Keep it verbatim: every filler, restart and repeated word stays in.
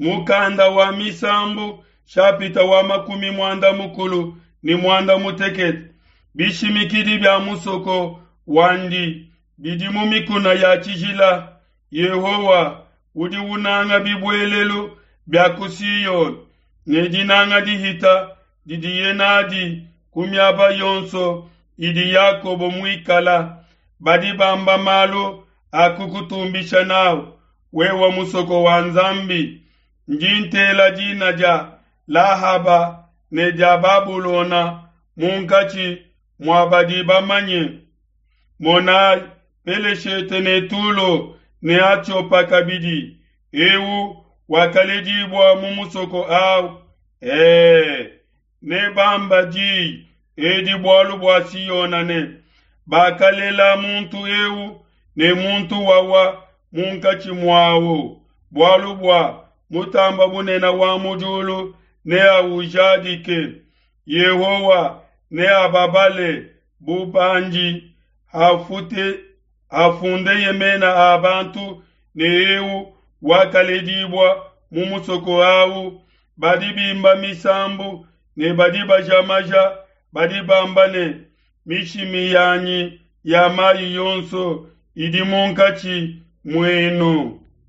Mukanda wa Misambu shapita wa makumi muanda mukulu ne muanda mutekete bishimikidi bia musoko wandi bidi mu mikuna ya tshijila. Yehowa udi unanga bibuelelu bia ku Siona ne dinanga dihita didiye nadi ku miaba yonso idi Yakobo muikala. Badi bamba malu a kukutumbisha n'au, wewe musoko wa Nzambi. Ndi ntela dina dia Lahaba ne dia Babulona munkatshi mua badi bamanye. Monai, Peleshete ne Tulo ne Atiopa kabidi, eu wakaledibua mu musoko au. E, nebamba di edi bualu bua Siona ne, Bakalela muntu eu ne muntu wawa munkatshi muawu, bualu bua Mutamba Bunene wa mu diulu neaujadike. Yehowa neababale bu bandi hafute hafundeye mena a bantu ne eu wakaledibua mu musoko au. Badi bimba misambu ne badi baja maja badi bamba ne, mishimi yanyi ya mai yonso idi munkatshi muenu.